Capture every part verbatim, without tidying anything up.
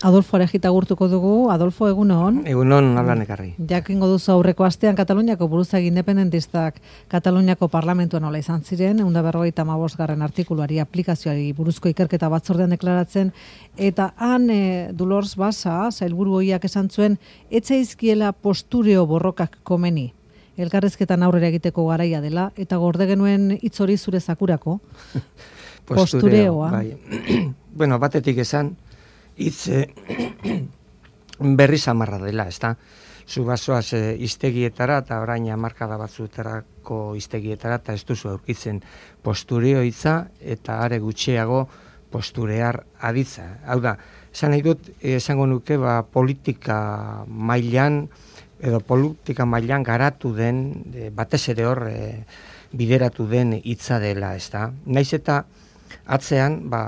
Adolfo Arejita gurtuko dugu. Adolfo, egunon. Egunon, hablan ekarri. Jakingo duzu aurreko astean Kataluniako buruzagi independentistak Kataluniako parlamentuan nola izan ziren, ehun eta berrogeita hamabosgarren artikuluari aplikazioari buruzko ikerketa batzordean deklaratzen, eta han e, Dolors Basa, sailburu ohiak esan zuen, etzaizkiela postureo borrokak komeni. Elkarrezketan aurrera egiteko garaia dela, eta gorde genuen hitz hori zure zakurako. Postureoa. Bai. Bueno, batetik esan, hitz eh, berri samarra dela, ezta? Zu basoaz eh, iztegietara eta orain hamarkada batzuetarako iztegietara eta ez duzu aurkitzen postureo hitza eta are gutxiago posturear aditza. Hau da, esan nahi dut, esango nuke ba, politika mailan edo politika mailan garatu den, e, batez ere hor e, bideratu den hitza dela, ezta? Naiz eta atzean, ba,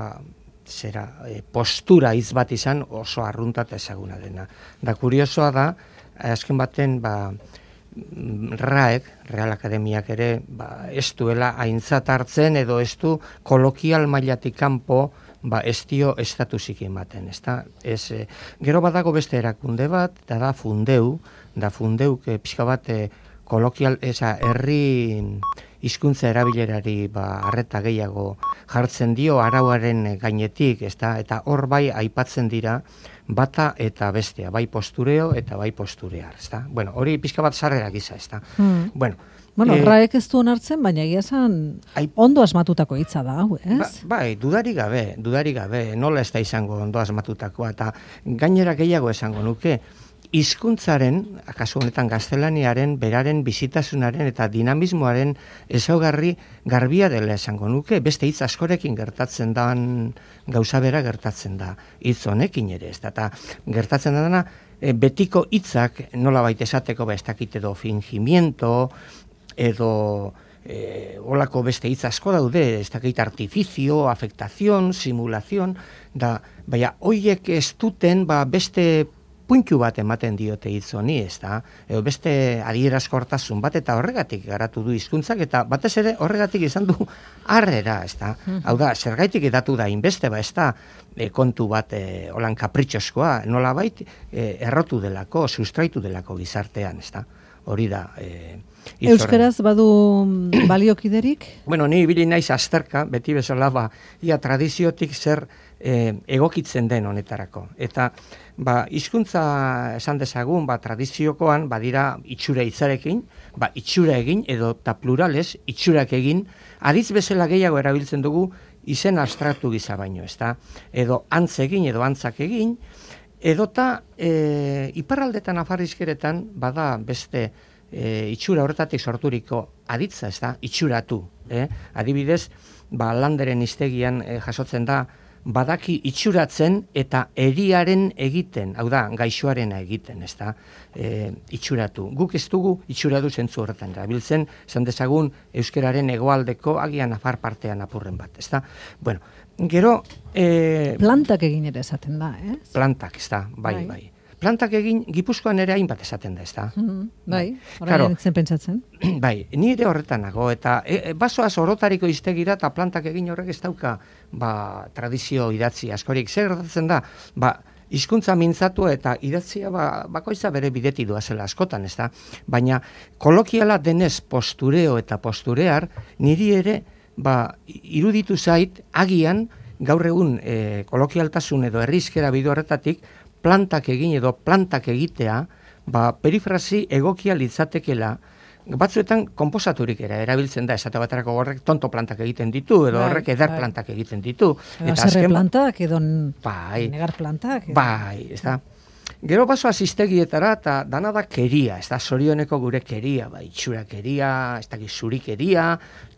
zera, e, postura hitz bat izan oso arrunta eta ezaguna dena. Da kuriosoa da, azken baten, ba, RAEk, Real Akademiak ere, ba, ez duela aintzat hartzen edo ez du kolokial mailatik kanpo, ba, ez dio estatusik ematen, ezta? Ez, e, gero badago beste erakunde bat, da da Fundeu, da Fundeu, e, pixka bat, e, kolokial, eza, herri hizkuntza erabilerari ba harreta gehiago jartzen dio arauaren gainetik, ezta? Eta hor bai aipatzen dira bata eta bestea, bai postureo eta bai posturear, ezta? Bueno, hori pixka bat sarrera gisa, ezta? Hmm. Bueno, Bueno, eh, RAEk ez du onartzen, baina egia esan ondo asmatutako hitza da, hau, ez? Ba, bai, dudari gabe, dudari gabe, nola ez da izango ondo asmatutakoa, eta gainera gehiago esango nuke, hizkuntzaren, akaso honetan gaztelaniaren, beraren bizitasunaren eta dinamismoaren ezaugarri garbia dela esango nuke, beste hitz askorekin gertatzen dan gauza bera gertatzen da, hitz honekin ere, ez da, eta gertatzen dana, e, betiko hitzak nola baita esateko ba ez dakit edo fingimiento, edo e, olako beste hitz asko daude, ez dakit artifizio, afektazion, simulazion, da, baina hoiek ez duten ba beste puntu bat ematen diote hitz honi, ez da, edo beste adierazkortasun bat, eta horregatik garatu du hizkuntzak eta batez ere horregatik izan du harrera, ez da. Hau da, zergaitik edatu da inbeste, ba, ez da, e, kontu bat e, holan kapritxoskoa, nolabait e, errotu delako, sustraitu delako gizartean, ez da. Hori da. E, Euskaraz badu baliokiderik? Bueno, ni ibili naiz azterka, beti bezala, ba, ia tradiziotik zer e, egokitzen den honetarako. Eta, ba, hizkuntza esan dezagun, ba, tradiziokoan, badira itxura hitzarekin, ba, itxura egin, edo ta plurales, itxurak egin, aditz bezala gehiago erabiltzen dugu, izen abstraktu gisa baino, ezta? Edo antz egin, edo antzak egin, edota e, iparraldetan afarrizkeretan, bada beste e, itxura horretatik sorturiko aditza, ez da, itxuratu. Eh? Adibidez, ba, Landeren hiztegian e, jasotzen da, badaki itxuratzen eta eriaren egiten, hau da, gaixoarena egiten, ez da, e, itxuratu. Guk ez dugu itxuratu zentzu horretan erabiltzen, esan dezagun euskararen hegoaldeko agian afar partean apurren bat, ez da. Bueno, gero... E, plantak egin ere esaten da, ez? Plantak, ez da, bai, bai. bai. Plantak egin, Gipuzkoan ere hainbat esaten da, ez da? Mm-hmm, bai, horrein nintzen pentsatzen. Bai, ni ere horretanago, eta e, basoaz orotariko iztegira eta plantak egin horrek ez dauka ba, tradizio idatzi askorik. Zer gertatzen da, ba, hizkuntza mintzatu eta idatzia ba, bakoitza bere bideti doazela askotan, ez da? Baina kolokiala denez postureo eta posturear, niri ere ba, iruditu zait agian gaur egun e, kolokialtasun edo herrizkera bide horretatik plantak egin edo plantak egitea, ba, perifrasi egokia litzatekela, batzuetan konposaturik era erabiltzen da, esate baterako horrek tonto plantak egiten ditu, edo horrek eder bai. plantak egiten ditu. Eta azken plantak, edo bai, negar plantak. Edo. Bai, ez da. Gero baso aziztegietara, eta dana da keria, ez da, zorioneko gure keria, ba, itxura keria, ez da, zuri keria,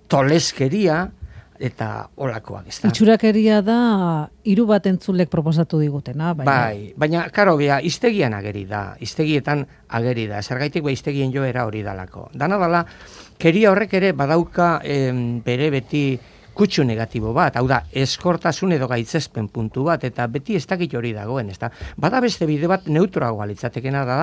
toles keria, eta olakoak, ez da. Itxurakeria da hiru bat entzulek proposatu digutena, baina. Bai, baina karo bea hiztegian ageri da, hiztegietan ageri da. Zergaitik ba hiztegien joera hori dalako. Dana dala keria horrek ere badauka em, bere beti kutsu negatibo bat, hau da, eskortasun edo gaitzespen puntu bat, eta beti ez dakit hori dagoen, ez da. Bada beste bide bat neutroagoa litzatekena da,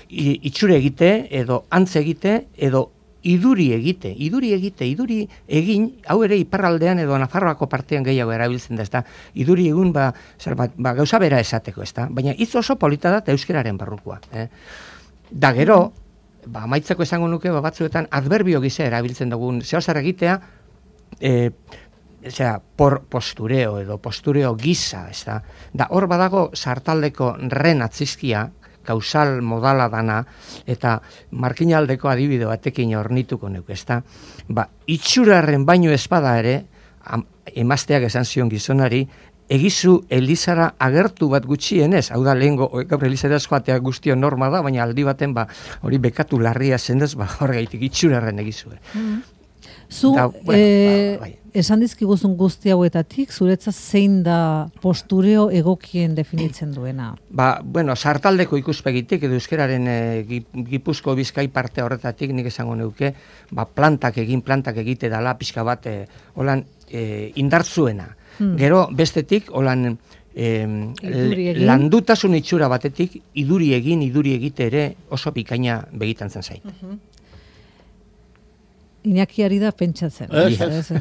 itxure egite, edo antz egite, edo iduri egite, iduri egite, iduri egin, hau ere iparraldean edo Nafarroako partean gehiago erabiltzen da, ezta? Iduri egun ba, zer, ba, ba gauza bera esateko, ezta? Baina hitz oso polita da euskararen barrukoa, eh? Da gero, ba amaitzeko esango nuke ba batzuetan adverbio gisa erabiltzen dugun zeo zer egitea, eh osea, por postureo edo postureo gisa, ezta? Da hor badago sartaldeko ren atzizkia, kausal modala dana, eta markinaldeko adibide batekin ornituko nuke, ezta? Ba, itxurarren baino espada ere, am, emazteak esan zion gizonari, egizu Elizara agertu bat gutxienez, hau da lehengo, gaur Elizara joatea guztio norma da, baina aldi baten ba, hori bekatu larria zenez, ba, horregaitik itxurarren egizue. Mm-hmm. Zu, da, bueno, e, ba, bai. Esan dizkiguzun guzti hauetatik, zuretzat zein da postureo egokien definitzen duena? Ba, bueno, sartaldeko ikuspegitik, edo euskararen e, Gipuzko Bizkai parte horretatik, nik esango neuke, ba, plantak egin, plantak egite dala, pixka bat, e, holan, e, indartzuena. Hmm. Gero, bestetik, holan, e, landutasun itxura batetik, iduri egin, iduri egite ere oso bikaina begitan zen zait. Uh-huh. Iñakiari da pentsatzen. Ez,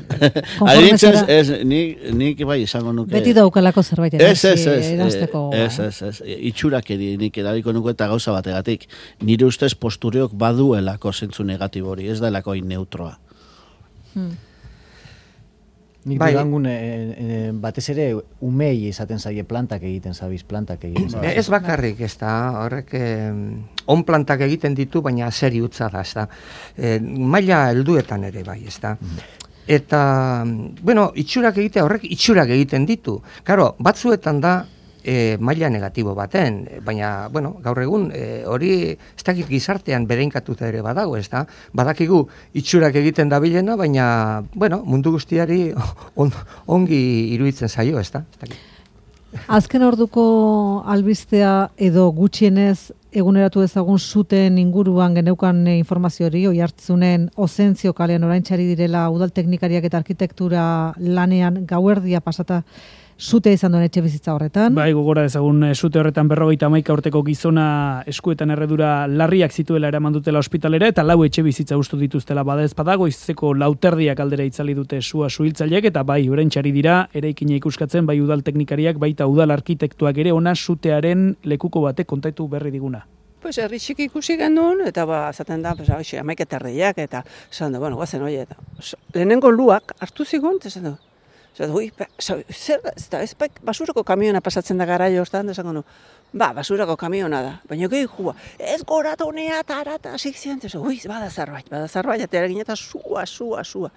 Adintzen, ez, nik, nik bai izango nuke. Beti daukalako zerbait erazteko. Ez, ez, ez, itxurak eri nik erabiko nuke eta gauza bategatik. Nire ustez postureok baduelako zentzu negatibori, ez delako hain neutroa. Hmm. Nik bai. Durangun e, e, batez ere umei izaten zaie plantak egiten zabiz, plantak egiten zabiz. Ez bakarrik, ez da, horrek eh, on plantak egiten ditu, baina seri utza da, ez da. E, maila helduetan ere bai, ez da. Eta, bueno, itxurak egitea horrek itxurak egiten ditu. Karo, batzuetan da e, maila negatibo baten, baina, bueno, gaur egun e, hori ez dakit gizartean bereinkatuta ere badago, ez da? Badakigu itxurak egiten dabilena, baina, bueno, mundu guztiari on, ongi iruditzen zaio, ez da? Azken orduko albistea edo gutxienez eguneratu ezagun zuten inguruan geneukan informazio hori, oihartzunen Ozentzio kalean oraintxari direla udal teknikariak eta arkitektura lanean gauerdia pasata Zute izan duen etxe bizitza horretan. Bai, gogora dezagun zute horretan berrogeita hamaika urteko gizona eskuetan erredura larriak zituela eraman dutela ospitalera eta lau etxe bizitza ustu dituztela bada ez badago izeko lauterdiak aldera itzali dute sua suhiltzaileek eta bai oraintxari dira eraikina ikuskatzen bai udal teknikariak baita udal arkitektuak ere ona zutearen lekuko batek kontatu berri diguna. Pues herri txiki ikusi genuen, eta ba, zaten da, pues, hoxe, amaik eta erdiak, eta esan da, bueno, guazen hori, eta lehenengo luak hartu zigun, eta esan da, Zer, ui, zer, ez da, ez basurako kamiona pasatzen da garaio hortan, esango nu, ba, basurako kamiona da, baina gehi jua, ez goratonea, tarata, asik zian, ui, bada zarbait, bada zarbait, atera ginen eta sua, sua, sua.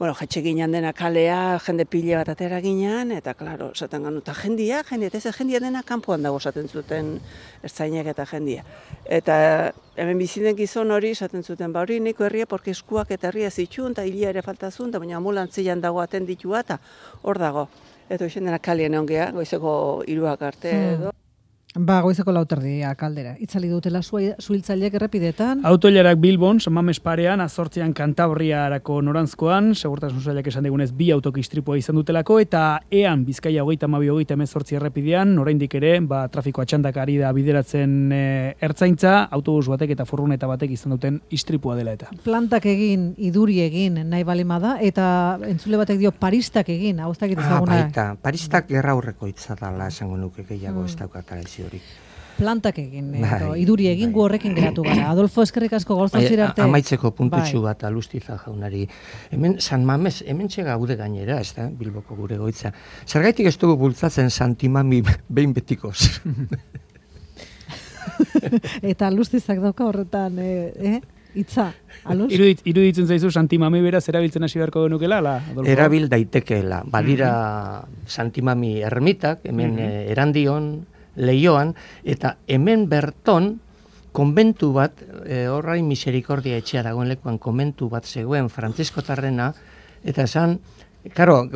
Bueno, jetxe ginen dena kalea, jende pile bat atera ginen, eta, klaro, esaten ganu, eta jendia, jendia, eta ez jendia dena kanpoan dago esaten zuten ertzainak eta jendia. Eta hemen biziden gizon hori esaten zuten, ba hori niko herria, porque eskuak eta herria zitxun, eta hilia ere faltazun, eta baina ambulantzian dago atenditua, eta hor dago. Eta hoxen dena kalien ongea, goizeko hiruak arte edo. Ba, goizeko lauterdia kaldera. Itzali dutela suhiltzaileek errepidetan. Autoilarak Bilbon, Samames parean, azortzian Kantabriarako norantzkoan, segurtasun sailak esan digunez bi autok istripua izan dutelako, eta ean Bizkaia hogeita hamabi hogeita hemezortzi errepidean, oraindik ere, ba, trafiko atxandak ari da bideratzen e, ertzaintza, autobus batek eta furgoneta batek izan duten istripua dela eta. Plantak egin, iduri egin, nahi balima da, eta entzule batek dio paristak egin, hau ez dakit ezaguna. Ah, baita, paristak gerra aurreko hitza dela esango nuke gehiago ez daukatara ez. Hori. Plantak egin, edo, iduri egin gu horrekin geratu gara. Adolfo, eskerrik asko gauzantzira arte. Amaitzeko puntutxu bai. Bat alustiza jaunari. Hemen San Mames, hemen txega gaude gainera, ez da, Bilboko gure goitza. Zergaitik ez dugu bultzatzen Santimami behin betikoz. Eta alustizak dauka horretan, eh? Itza, aluz? Irudit, iruditzen zaizu Santimami beraz erabiltzen hasi beharko genukela, la, Adolfo? Erabil daitekeela. Badira mm-hmm. Santimami ermitak, hemen mm-hmm. erandion, Leioan, eta hemen berton konbentu bat, e, horrain miserikordia etxea dagoen lekuan konbentu bat zegoen frantziskotarrena, eta esan, karo,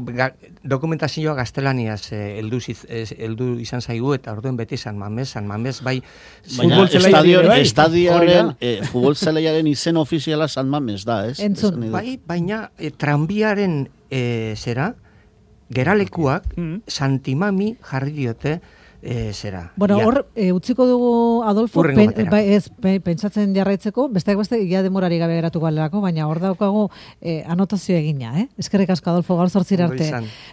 dokumentazioa gaztelaniaz heldu e, izan zaigu, eta orduen beti San Mames, San Mames, bai... Baina estadioaren, e, futbolzelaiaren izen ofiziala San Mames da, ez? Entzun. Bai, baina e, tranbiaren e, zera, geralekuak, mm-hmm. Santimami jarri diote, e, zera. Bueno, ia. hor, e, utziko dugu, Adolfo, Hurrengo pen, batera. bai, ez, pe- pentsatzen jarraitzeko, besteak beste, ia demorari gabe geratuko alerako, baina hor daukagu e, anotazio egina, eh? Eskerrik asko, Adolfo, gaur zortzira Ondo arte. izan.